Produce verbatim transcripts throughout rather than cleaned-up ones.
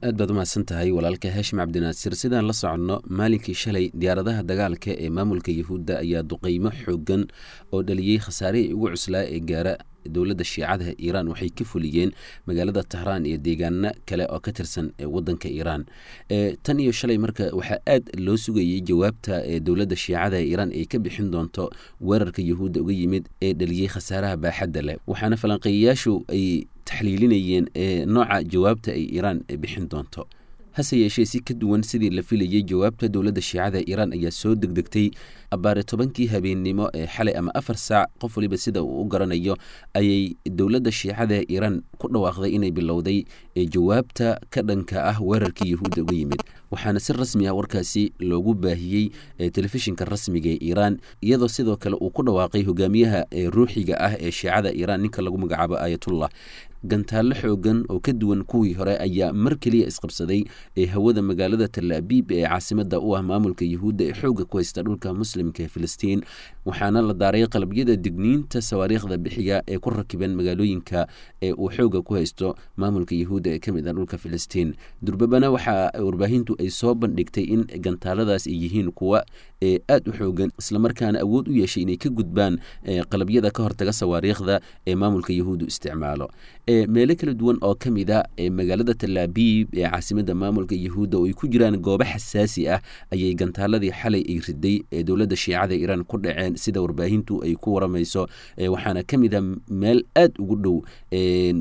Aad baad umahadsan tahay walaalka Haashim Cabdinaasir. Sidaan la soconno, maalinkii shalay diyaaradaha dagaalka ee maamulka Yahuudda ayaa duqeymo xoogan oo dhaliyey khasaarihii ugu cuslaa ee gaara dowladda Shiicadaha Iiraan waxay ka fuliyeen magaalada Tahraan iyo deegaano kale oo ka tirsan wadanka Iiraan. Tan iyo shalay marka waxaa aad loo sugayey jawaabta ee dowladda Shiicada Iiraan ay ka bixin doonto weerarka Yahuudda uga yimid ee dhaliyey khasaaraha baaxadda leh, waxaana falanqeeyayaashu ay taxliilinayeen nooca jawaabta ay Iiraan bixin doonto. Hase yeeshee, si ka duwan sidii la filayey, jawaabta dowladda Shiicada Iiraan ayaa soo degdegtay. Abbaare tobankii habeennimo ee xalay ama afar saac, qof waliba sida uu u garanayo, ayay dowladda Shiicada Iiraan ku dhawaaqday inay bilowday jawaabta ka dhanka ah weerarkii Yahuudda uga yimid, waxaana si rasmi ah warkaasi loogu baahiyey telefishinka rasmiga ee Iiraan, iyadoo sidoo kale uu ku dhawaaqay hogaamiyaha ruuxiga ah ee Shiicada Iiraan, ninka lagu magacaabo Aayatullah. Gantaallo xoogan oo ka duwan kuwii hore ayaa mar keliya isqabsaday ee hawada magaalada Talaabiib ee caasimada u ah maamulka Yahuudda ee xoogga ku haysta dhulka muslimka ee Filistiin, waxaana la daaray qalabyada digniinta sawaariikhda bixiya ee ku rakiban magaalooyinka ee uu xoogga ku haysto maamulka Yahuudda ee ka mid ah dhulka Filistiin. Durbabana waxaa warbaahintu ay soo bandhigtay in gantaaladaas ay yihiin kuwa ee aada u xoogan, islamarkaana awood u yeeshay inay ka gudbaan qalabyada ka hortaga sawaariikhda ee maamulka Yahuuddu isticmaalo. Meelo kala duwan oo ka mid a magaalada Talaabiib ee caasimada maamulka Yahuudda, oo ay ku jiraan goobo xasaasi ah, ayay gantaaladii xalay ay riday ee dowladda Shiicada Iiraan ku dhaceen, sida warbaahintu ay ku waramayso, waxaana ka mid a meel aada ugu dhow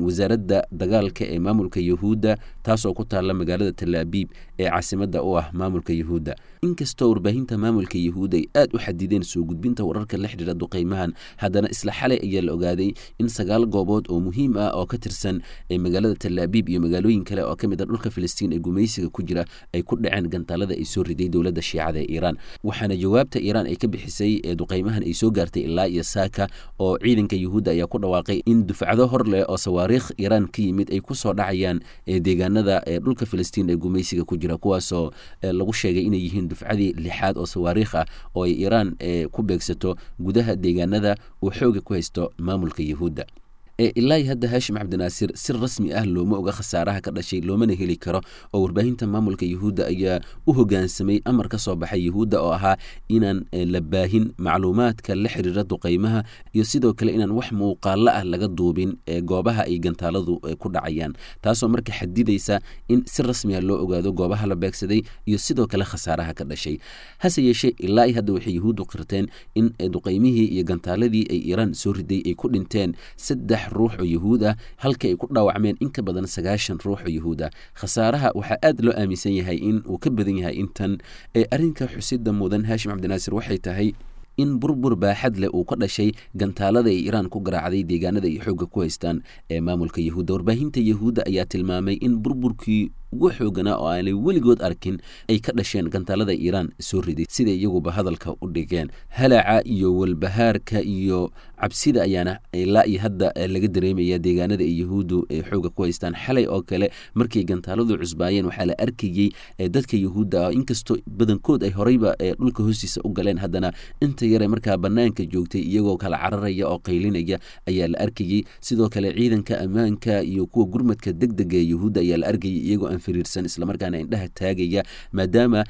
wasaaradda dagaalka ee maamulka Yahuudda, taasoo ku taalla magaalada Talaabiib ee caasimada u ah maamulka Yahuudda. Inkastoo warbaahinta maamulka Yahuudda ay aada u xadideen soo gudbinta wararka la xidhiira duqeymahan, haddana isla xalay ayaa la ogaaday in sagaal goobood oo muhiim ah oo ka tirsan magaalada Talaabiib iyo magaalooyin kale oo ka mid a dhulka Filistiin ee gumaysiga ku jira ay ku dhaceen gantaalada ay soo riday dowladda Shiicada ee Iiraan, waxaana jawaabta Iiraan ay ka bixisay ee duqeymahan ay soo gaartay ilaa iyo saaka, oo ciidanka Yahuudda ayaa ku dhawaaqay in dufcado hor leh oo sawaariikh Iiraan ka yimid ay ku soo dhacayaan deegaanada dhulka Filistiin ee gumaysiga ku jira, kuwaasoo lagu sheegay inay yihiin dufcadii lixaad oo sawaariikh ah oo ay Iiraan ku beegsato gudaha deegaanada uu xooga ku haysto maamulka Yahuudda. Ilaa hadda, Haashim Cabdinaasir, si rasmi ah looma oga khasaaraha ka dhashay, loomana heli karo, oo warbaahinta maamulka Yahuudda ayaa u hogaansamay amar ka soo baxay Yahuudda oo ahaa inaan la baahin macluumaadka la xiriira duqeymaha iyo sidoo kale inaan wax muuqaalo ah laga duubin goobaha ay gantaaladu ku dhacayaan, taasoo marka xadidaysa in si rasmi ah loo ogaado goobaha la beegsaday iyo sidoo kale khasaaraha ka dhashay. Hase yeeshee, ilaa hadda waxay Yahuuddu qirteen in duqeymihii iyo gantaaladii ay Iiraan soo riday ay ku dhinteen saddex ruux oo Yahuud ah, halka ay ku dhaawacmeen in ka badan sagaashan ruux oo Yahuud ah. Khasaaraha waxaa aad loo aaminsan yahay in uu ka badan yahay intan. Arrinka xusida mudan, Haashim Cabdinaasir, waxay tahay in burbur baaxad leh uu ka dhashay gantaalada ay Iiraan ku garaacday deegaanada ay xoogga ku haystaan ee maamulka Yahuudda. Warbaahinta Yahuudda ayaa tilmaamay in burburkii ugu xooganaa oo aanay weligood arkin ay ka dhasheen gantaalada Iiraan soo riday, siday iyaguba hadalka u dhigeen. Halaca iyo walbahaarka iyo cabsida ayaana ilaa iyo hadda laga dareemaya deegaanada ay Yahuuddu ay xooga ku haystaan. Xalay oo kale markay gantaaladu cusbaayeen, waxaa la arkayey dadka Yahuudda ah, inkastoo badankood ay horeyba dhulka hoostiisa u galeen, haddana inta yare markaa banaanka joogtay iyagoo kala cararaya oo qaylinaya ayaa la arkayey. Sidoo kale ciidanka ammaanka iyo kuwa gurmadka degdega ee Yahuudda ayaa la arkayay iyagoo aan firiirsan, islamarkaana indhaha taagaya, maadaama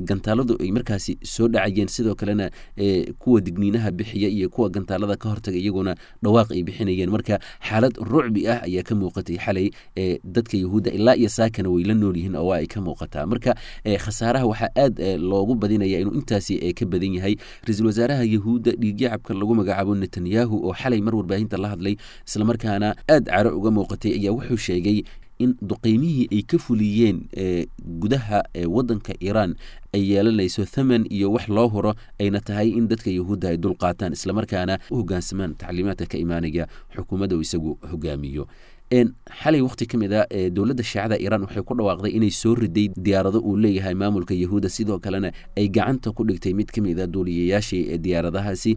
gantaaladu ay markaasi soo dhacayeen. Sidoo kalena kuwa digniinaha bixiya iyo kuwa gantaalada ka hortaga iyaguna dhawaaq ay bixinayeen. Marka xaalad rucbi ah ayaa ka muuqatay xalay dadka Yahuudda, ilaa iyo saakana way la nool yihiin oo waa ay ka muuqataa. Marka khasaaraha waxaa aad loogu badinaya inuu intaasi ka badan yahay. Ra-iisul wasaaraha Yahuudda dhiigyacabka lagu magacaabo Netanyahu, oo xalay mar warbaahinta la hadlay islamarkaana aad caro uga muuqatay, ayaa wuxuu sheegay in duqeymihii ay ka fuliyeen gudaha wadanka Iiraan ay yeelanayso thaman iyo wax loo huro, ayna tahay in dadka Yahuudda ay dul qaataan islamarkaana u hoggaansamaan tacliimaadka ka imaanaya xukuumadda uu isagu hogaamiyo. Xalay waqti ka mid a dowladda Shiicada Iiraan waxay ku dhawaaqday inay soo riday diyaarado uu leeyahay maamulka Yahuudda, sidoo kalena ay gacanta ku dhigtay mid ka mid a duuliyayaashii diyaaradahaasi.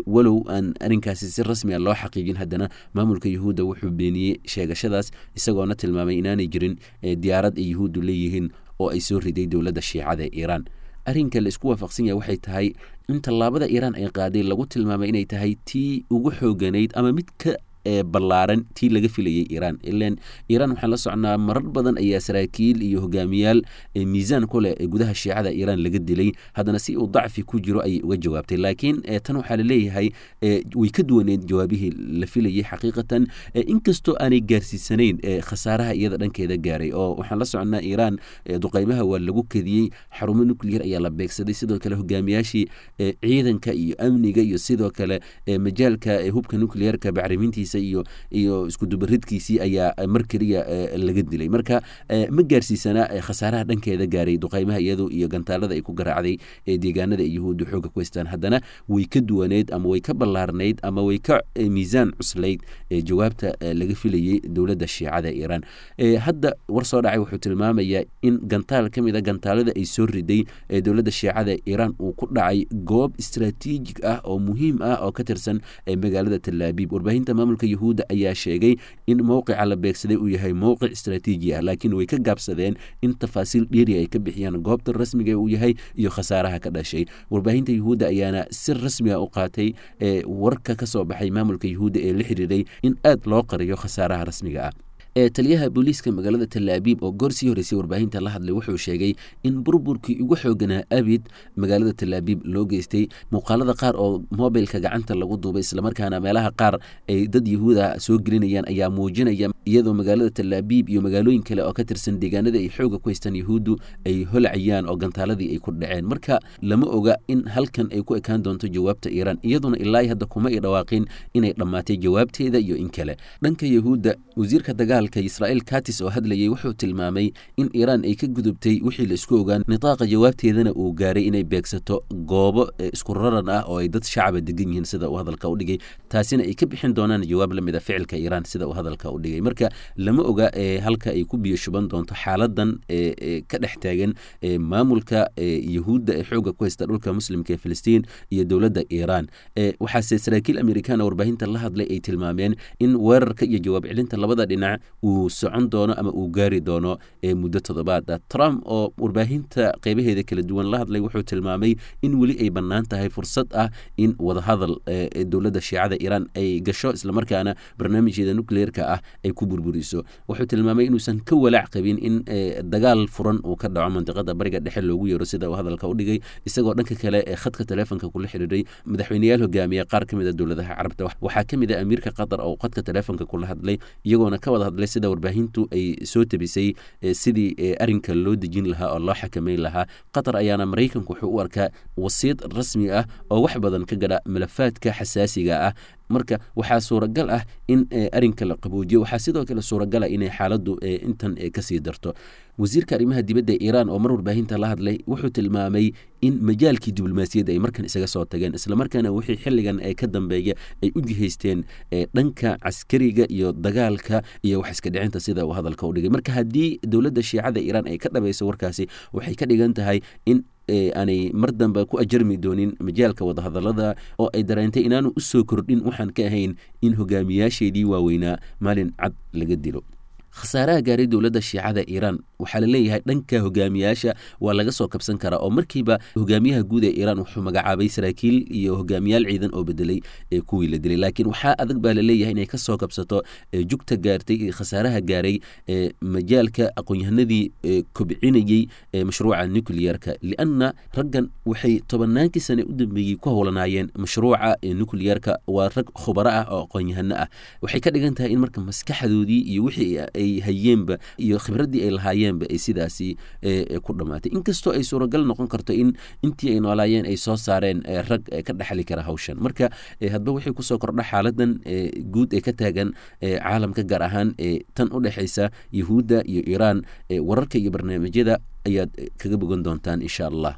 Walow aan arrinkaasi si rasmi a loo xaqiijin, haddana maamulka Yahuudda wuxuu beeniyey sheegashadaas, isagoona tilmaamay inaanay jirin diyaarad ay Yahuuddu leeyihiin oo ay soo riday dowladda Shiicada Iiraan. Arrinka la isku waafaqsan yahay waxay tahay in tallaabada Iiraan ay qaaday lagu tilmaamay inay tahay tii ugu xooganayd ama mid ka ballaaran tii laga filayay Iiraan. Ilan Iiraan waxaan la socnaa marar badan ayaa saraakiil iyo hogaamiyaal miisaan ku leh gudaha shiicada Iiraan laga dilay, haddana si uu dacfi ku jiro ayay uga jawaabtay. Laakiin tan waxaa laleeyahay way ka duwaneed jawaabihii la filayay xaqiiqatan, inkastoo aanay gaarsiisanayn khasaaraha iyada dhankeeda gaaray. Oo waxaan la socnaa Iiraan duqeymaha waa lagu kediyey, xarumo nuclear ayaa la beegsaday, sidoo kale hogaamiyaashii ciidanka iyo amniga iyo sidoo kale majaalka hubka nuclearka bacrimintiisa iyo iyo iskudubaridkiisii ayaa mar keliya laga dilay. Marka ma gaarsiisana khasaaraha dhankeeda gaaray duqeymaha iyadu iyo gantaalada ay ku garaacday deegaanada ay Yuhuuddu xooga ku haystaan, haddana way ka duwaneyd ama way ka ballaarnayd ama way ka miisaan cuslayd jawaabta laga filayey dowladda shiicada Iiraan. Hadda war soo dhacay wuxuu tilmaamayaa in gantaal ka mid a gantaalada ay soo riday dowladda shiicada Iiraan uu ku dhacay goob istraatiijig ah oo muhiim ah oo ka tirsan magaalada Talaabiib. Warbaahinta maamulka Yuhuudda ayaa sheegay in mowqica la beegsaday uu yahay mowqic istraatiiji ah, laakiin way ka gaabsadeen in tafaasiil dheeri ay ka bixiyaan goobta rasmiga uu yahay iyo khasaaraha ka dhashay. Warbaahinta Yuhuudda ayaana si rasmi ah u qaatay warka ka soo baxay maamulka Yuhuudda ee la xiriiray in aad loo qariyo khasaaraha rasmiga ah. Taliyaha booliiska magaalada Talaabiib oo goor sii horeysay warbaahinta la hadlay wuxuu sheegay in burburkii ugu xooganaa abid magaalada Talaabiib loo geystay. Muuqaalada qaar oo mobilka gacanta lagu duubay islamarkaana meelaha qaar ay dad Yahuuda soo gelinayaan ayaa muujinaya iyadoo magaalada Talaabiib iyo magaalooyin kale oo ka tirsan deegaanada ay xooga ku haystaan Yahuuddu ay holacayaan oo gantaaladii ay ku dhaceen. Marka lama oga in halkan ay ku ekaan doonto jawaabta Iiraan, iyaduna ilaa hadda kuma ay dhawaaqin inay dhammaatay jawaabteeda iyo in kale. Dhanka Yahuudda, wasiirka dagaalka Israa'iil Katis oo hadlayay wuxuu tilmaamay in Iiraan ay ka gudubtay wixii la isku ogaan, nitaaqa jawaabteedana uu gaaray inay beegsato goobo isku raran ah oo ay dad shacaba degan yihiin sida uu hadalka u dhigay, taasina ay ka bixin doonaan jawaab la mid a ficilka Iiraan sida uu hadalka u dhigay. Marka lama oga halka ay ku biyo shuban doonto xaaladan ka dhex taagan maamulka Yahuudda ee xoogga ku haysta dhulka muslimka ee Filistiin iyo dowladda Iiraan. Waxaase saraakiil Amerikaan oo warbaahinta la hadlay ay tilmaameen in weerarka iyo jawaab celinta labada dhinac uu socon doono ama uu gaari doono muddo toddobaad ah. Trump oo warbaahinta qeybaheeda kala duwan la hadlay wuxuu tilmaamay in weli ay bannaan tahay fursad ah in wadahadal dowladda shiicada Iiraan ay gasho islamarkaana barnaamijkeeda nucleerka ah ay ku burburiso. Wuxuu tilmaamay inuusan ka walaac qabin in dagaal furan uu ka dhaco mandiqada Bariga Dhexe loogu yeero sida uu hadalka u dhigay, isagoo dhanka kale ee khadka taleefonka kula xiriiray madaxweyneyaal hogaamiya qaar ka mid a dowladaha Carabta. Waxaa ka mid ah amiirka Qatar oo khadka taleefonka kula hadlay, iyagoona ka wada hadlay sida warbaahintu ay soo tabisay sidii arrinka loo dejin lahaa oo loo xakameyn lahaa. Qatar ayaana Maraykanku wuxuu u arkaa wasiid rasmi ah oo wax badan ka gadha malafaadka xasaasiga ah. Marka waxaa suuragal ah in arrinka la qaboojiyo, waxaa sidoo kale suuragal ah inay xaaladdu intan kasii darto. Wasiirka arrimaha dibadda Iiraan oo mar warbaahinta la hadlay wuxuu tilmaamay in majaalkii diblomaasiyadda ay markan isaga soo tageen, islamarkaana wixii xilligan ee ka dambeeya ay u jihaysteen dhanka caskariga iyo dagaalka iyo wax iska dhicinta sida uu hadalka u dhigay. Marka haddii dowladda shiicada Iiraan ay ka dhabayso warkaasi, waxay ka dhigan tahay in aanay mar dambe ku ajarmi doonin majaalka wadahadalada oo ay dareentay inaanu u soo kordhin waxaan ka ahayn in hogaamiyaasheedii waaweynaa maalin cad laga dilo. Khasaaraha gaaray dowladda shiicada Iiraan waxaa la leeyahay dhanka hogaamiyaasha waa laga soo kabsan karaa, oo markiiba hogaamiyaha guud ee Iiraan wuxuu magacaabay saraakiil iyo hogaamiyaal ciidan oo bedelay ee kuwii la dilay. Laakiin waxaa adag baa la leeyahay inay ka soo kabsato jugta gaartay iyo khasaaraha gaaray majaalka aqoon-yahanadii kobcinayey mashruuca nuclearka, lianna raggan waxay tobannaankii sane u dambeeyey ku howlanaayeen mashruuca nuclearka. Waa rag khubaro ah oo aqoon-yahano ah. Waxay ka dhigan tahay in marka maskaxdoodii iyo wixii ay hayeenba iyo khibraddii ay lahaayeenba ay sidaasi ku dhammaatay, inkastoo ay suuragal noqon karto in intii ay noolaayeen ay soo saareen rag ka dhexli kara hawshan. Marka hadba wixii kusoo kordha xaaladan guud ee ka taagan caalamka, gaar ahaan tan u dhexaysa Yahuudda iyo Iiraan, wararka iyo barnaamijyada ayaad kaga bogan doontaan insha Allah.